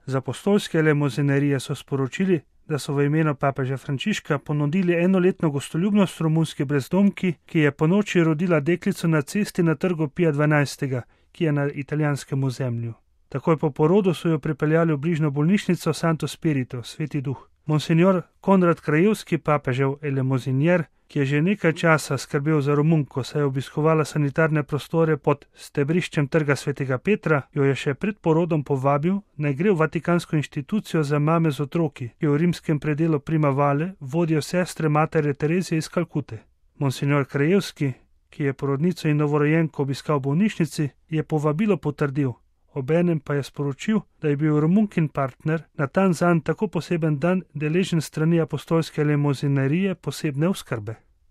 Z apostolske elemozinerije so sporočili, da so v imenu papeža Frančiška ponudili enoletno gostoljubnost romunski brezdomki, ki je ponoči rodila deklico na cesti na trgu Pija XII., ki je na italijanskem ozemlju. Takoj po porodu so jo pripeljali v bližnjo bolnišnico Santo Spirito, Sveti Duh. Monsignor Konrad Krajewski, papežev elemozinier, ki je že nekaj časa skrbel za Romunko, saj je obiskovala sanitarne prostore pod stebriščem trga Svetega Petra, jo je še pred porodom povabil, naj gre v Vatikansko inštitucijo za mame z otroki, ki v rimskem predelu Primavale vodijo sestre matere Terezije iz Kalkute. Monsignor Krajewski, ki je porodnico in novorojenko obiskal v bolnišnici, je povabilo potrdil. Obenem pa je sporočil, da je bil Romunkin partner na ta zanj tako poseben dan deležen strani apostolske elemozinerije posebne oskrbe.